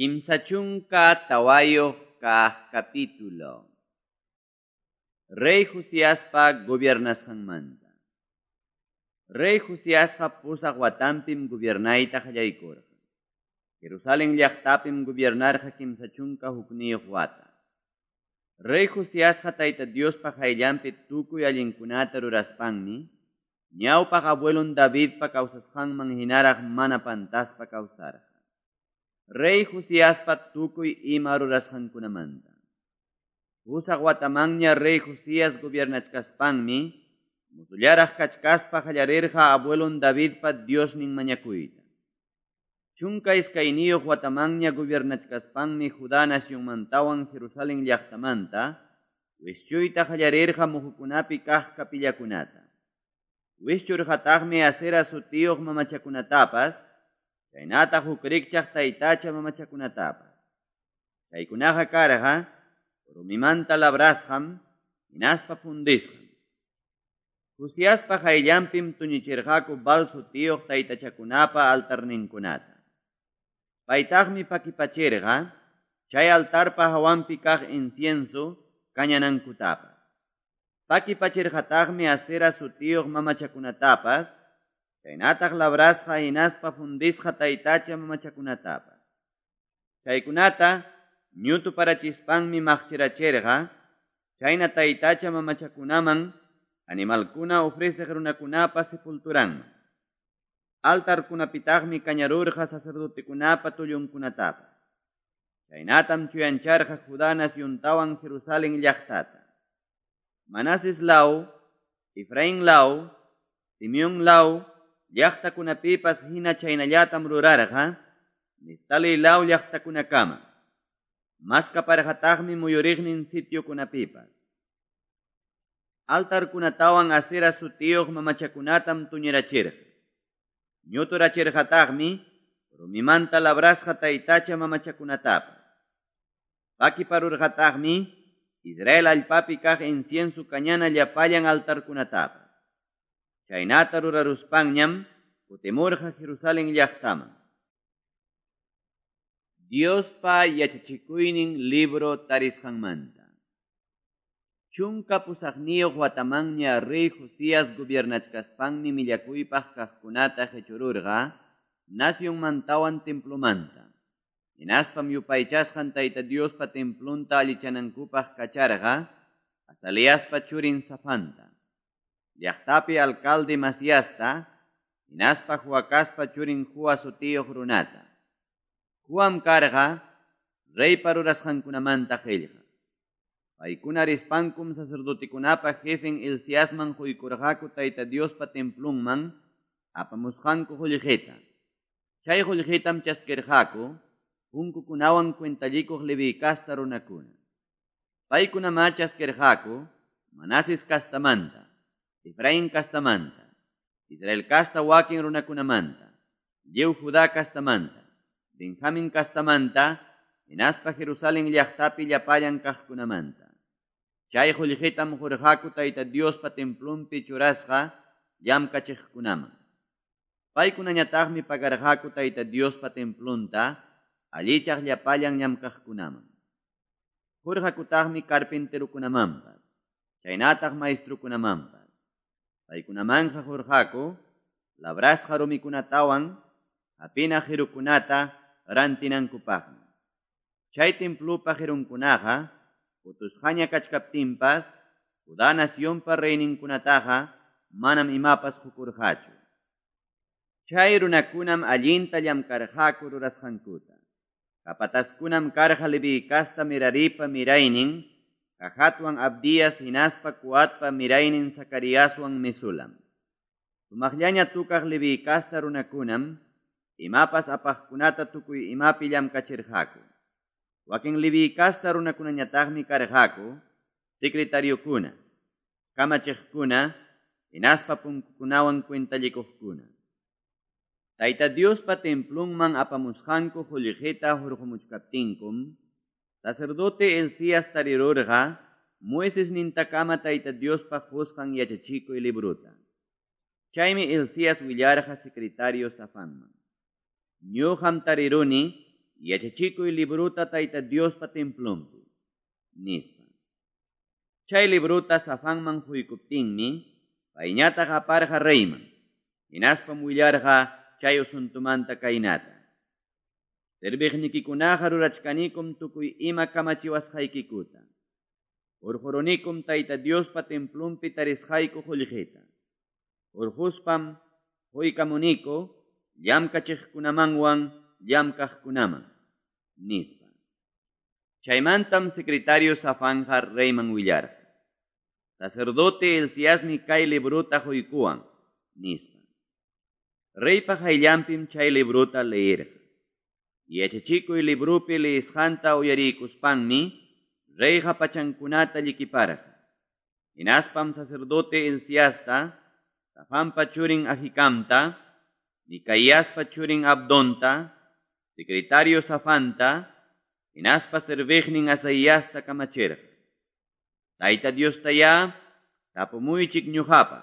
34 kaq capítulo. Rey Josiaspa gobiernasqanmanta. Rey Josiasqa 8 watanpim gobiernayta qallaykurqa. Jerusalén llaqtapim gobiernarqa 31 wata. Rey Josiasqa Tayta Diospa qayllanpi tukuy allinkunata ruraspanmi, ñawpaq abuelon Davidpa kawsasqanman hinaraq mana pantaspa kawsarqa. Rey Josiaspa tukuy ima rurasqankunamanta. 8 watamanña Rey Josías gobiernachkaspanmi, mozullaraq kachkaspa qallarirqa abuelon Davidpa Diosnin mañakuyta. 12 watamanña gobiernachkaspanmi Judá nacionmantawan Jerusalén llaqtamanta wischuyta qallarirqa muhukunapi kaq kapillakunata. Wischurqataqmi Asera sutiyuq mamachakunatapas, chaynataq huk rikchaq taytacha mamachakunatapas. Chaykunaqa karqa rumimanta labrasqam, hinaspa fundisqam. Josiaspa qayllanpim tuñichirqaku Baal sutiyuq taytachakunapa altarninkunata. Paytaqmi pakipachirqa chay altarpa hawanpi kaq incienso kañanankutapas. Pakipachirqataqmi Asera sutiyuq mamachakunatapas, chaynataq labrasqa hinaspa fundisqa taytacha mamachakunatapas. Chaykunata ñutuparachispanmi maqchirachirqa, chayna taytacha mamachakunaman animalkuna ofreceq runakunapa sepulturanman. Altarkunapitaqmi kañarurqa sacerdotekunapa tullunkunatapas. Chaynatam chuyancharqa Judá naciontawan Jerusalén llaqtata. Manases law, Efraín law, Simeón law llaqtakunapipas hina chaynallatam rurarqa, Neftali law llaqtakunakama. Maskaparqataqmi muyuriqnin sitiokunapipas. Altarkunatawan Asera sutiyuq mamachakunatam tuñirachirqa. Ñuturachirqataqmi rumimanta labrasqa taytacha mamachakunatapas. Pakiparurqataqmi Israel allpapi kaq incienso kañana llapallan altarkunatapas. Chaynata ruraruspanñam kutimurqa Jerusalén llaqtaman. Diospa yachachikuynin libro tarisqanmanta. 18 watamanña Rey Josías gobiernachkaspanmi millakuypaq kaqkunata qechururqa nacionmantawan templomanta. Hinaspam yupaychasqan Tayta Diospa templonta allichanankupaq kacharqa Azaliaspa churin Safanta, llaqtapi alcalde Masiasta, hinaspa Joacaspa churin Joa sutiyuq runata. Joam karqa reypa rurasqankunamanta qillqa. Paykuna rispankum sacerdotekunapa jefen Hilciasman quykurqaku Tayta Diospa templonman apamusqanku qullqita. Chay qullqitam chaskirqaku punkukunawan cuentallikuq Leví casta runakuna. Paykunamá chaskirqaku Manases castamanta, Efraín castamanta, Israel casta wakin runakunamanta, lliw Judá castamanta, Benjamín castamanta, hinaspa Jerusalén llaqtapi llapallan kaqkunamanta. Chay qullqitam qurqaku Tayta Diospa templonpi churasqa llamkachiqkunaman. Paykunañataqmi pagarqaku Tayta Diospa templonta allichaq llapallan llamkaqkunaman. Qurqakutaqmi carpinterukunamanpas, chaynataq maestrukunamanpas. Paykunamanqa qurqaku labrasqa rumikunatawan hapina qirukunata rantinankupaqmi. Chay templopa qirunkunaqa utusqaña kachkaptinpas, Judá nacionpa reyninkunataqa manam imapas qukurqachu. Chay runakunam allinta llamkarqaku rurasqankuta. Capataskunam karqa Leví casta Meraripa miraynin, Jahatwan Abdías hinaspa Coatpa miraynin Zacariaswan Mesulam. Sumaqllaña tukaq Leví casta runakunam, imapas apaqkunata tukuy imapi llamkachirqaku. Wakin Leví casta runakunañataqmi karqaku, secretariokuna, kamachiqkuna, hinaspa punkukunawan cuentallikuqkuna. Tayta Diospa templonman apamusqanku qullqita hurqumuchkaptinkum, sacerdote Hilcías tarirurqa Moises nintakama Tayta Diospa qusqan yachachikuy libruta. Chaymi Hilcías willarqa secretario Safanman. Ñuqam tariruni yachachikuy librota Tayta Diospa templonpi, nispa. Chay librota Safanman huykuptinmi, payñataq aparqa reyman, hinaspam willarqa chay asuntomanta kaynata. Serviqnikikunaqa rurachkanikum tukuy ima kamachiwasqaykikuta. Hurqurunikum Tayta Diospa templonpi tarisqayku qullqita. Hurquspam huykamuniku llamkachiqkunamanwan llamkaqkunaman, nispa. Chaymantam secretario Safanja reyman willarqa. Sacerdote Hilciasmi kay librota huykuwan, nispa. Reypa qayllanpim chay librota leerqa. Yachachikuy libropi leesqanta uyarikuspanmi reyqa pachankunata llikiparqa. Hinaspam sacerdote Hilciasta, Safanpa churin Ahikamta, Micaíaspa churin Abdonta, secretario Safanta, hinaspa serviqnin Asaíasta kamachirqa. Tayta Diostayá tapumuychik ñuqapaq.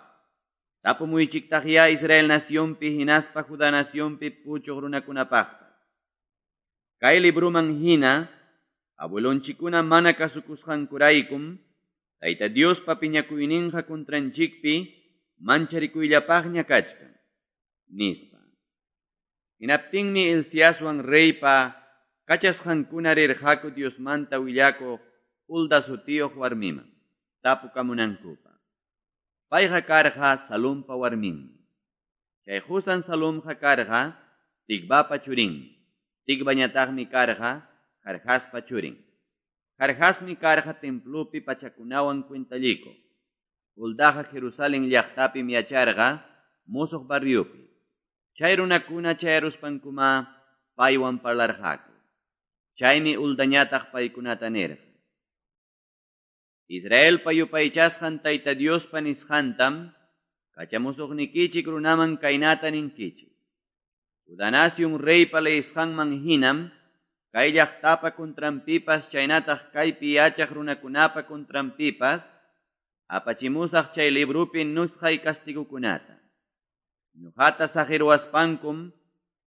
Tapumuychiktaqyá Israel nacionpi hinaspa Judá nacionpi puchuq runakunapaqpas. Kay libruman hina, abuelonchikuna mana kasukusqankuraykum, Tayta Diospa piñakuyninqa contranchikpi mancharikuyllapaqña kachkan, nispa. Hinaptinmi Hilciaswan reypa kachasqankuna rirqaku Diosmanta willakuq Hulda sutiyuq warmiman, tapukamunankupaq. Payqa karqa Salumpa warminmi. Chay qusan Salumqa karqa Tikvapa churinmi. Tikvañataqmi karqa Jarjaspa churin. Jarjasmi karqa templopi pachakunawan cuentallikuq. Huldaqa Jerusalén llaqtapim yacharqa musuq barriopi. Chay runakuna chayaruspankuma paywan parlarqaku. Chaymi Huldañataq paykunata nirqa. Israelpa yupaychasqan Tayta Diospa nisqantam kachamusuqnikichik runaman kaynata ninkichik. Judá nación reypa leesqanman hinam kay llaqtapa contranpipas chaynataq kaypi yachaq runakunapa contranpipas apachimusaq chay librupi nusqay castigukunata. Ñuqata saqirwaspankum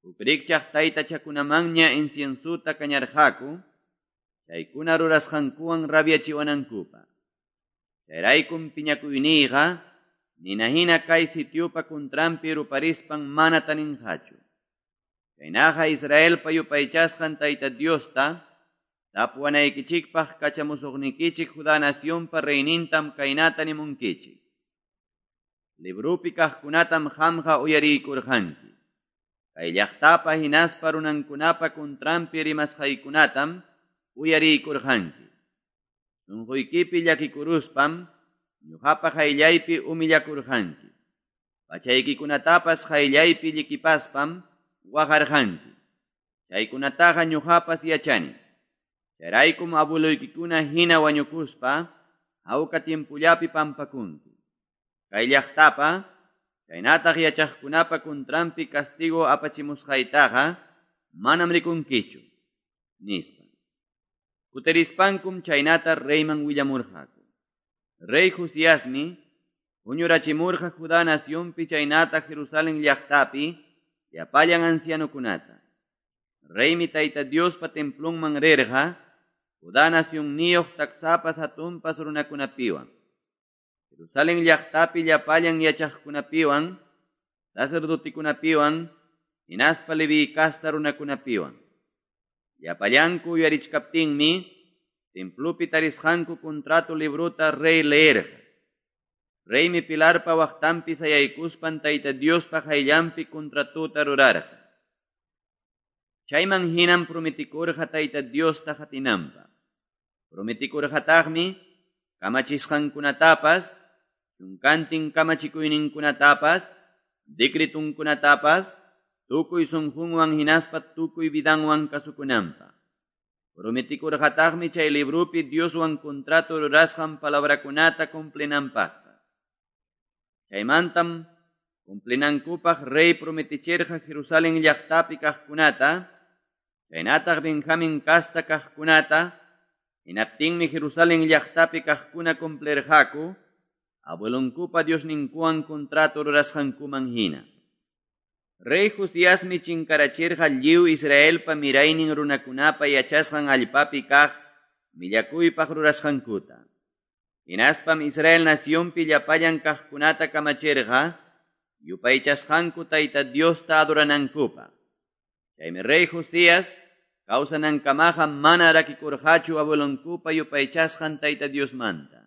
huk rikchaq taytachakunamanña inciensuta kañarqaku, chaykuna rurasqankuwan rabiachiwanankupaq. Chayraykum piñakuyniyqa nina hina kay sitiopa contranpi ruparispan mana taninqachu. Chaynaqa Israelpa yupaychasqan Tayta Diosta tapuwanaykichikpaq kachamusuqnikichik Judá nacionpa reynintam kaynata nimunkichik. Librupi kaqkunatam qamqa uyariykurqanki. Kay llaqtapa hinaspa runankunapa contranpi rimasqaykunatam uyariykurqanki. Sunquykipi llakikuruspam ñuqapa qayllaypi humillakurqanki. Pachaykikunatapas qayllaypi llikipaspam waqarqanki. Chaykunataqa ñuqapas yachani. Chayraykum abueloykikuna hina wañukuspa hawka tiempollapi pampakunki. Kay llaqtapa chaynataq yachaqkunapa contranpi castigo apachimusqaytaqa manam rikunkichu, nispa. Kutirispankum chaynata reyman willamurqaku. Rey Josiasmi huñurachimurqa Judá nacionpi chaynata Jerusalén llaqtapi llapallan ancianokunata. Reymi Tayta Diospa templonman rirqa Judá nacionniyuq taksapas hatunpas runakunapiwan. Jerusalén llaqtapi llapallan yachaqkunapiwan, sacerdotikunapiwan, hinaspa Leví casta runakunapiwan. Llapallanku uyarichkaptinmi templopi tarisqanku contrato librota rey leerqa. Reymi pilarpa waqtanpi sayaykuspan Tayta Diospa qayllanpi contratota rurarqa. Chayman hinam prometikurqa Tayta Diosta qatinanpaq. Prometikurqataqmi kamachisqankunatapas, chunkantin kamachikuyninkunatapas, decretunkunatapas, tukuy sunqunwan hinaspa tukuy vidanwan kasukunanpaq. Prometikurqataqmi chay librupi Dioswan contrato rurasqan palabrakunata cumplinanpaqpas. Chaymantam cumplinankupaq rey prometichirqa Jerusalén llaqtapi kaqkunata, chaynataq Benjamín casta kaqkunata, hinaptinmi Jerusalén llaqtapi kaqkuna cumplirqaku, abuelonkupa Diosninkuwan contrato rurasqankuman hina. Rey Josiasmi chinkarachirqa lliw Israelpa miraynin runakunapa yachasqan allpapi kaq millakuypaq rurasqankuta. Hinaspam Israel nacionpi llapallan kaqkunata kamachirqa yupaychasqanku Tayta Diosta adoranankupaq. Chaymi rey Josías kawsanankamaqa mana rakikurqachu abuelonkupa yupaychasqan Tayta Diosmanta.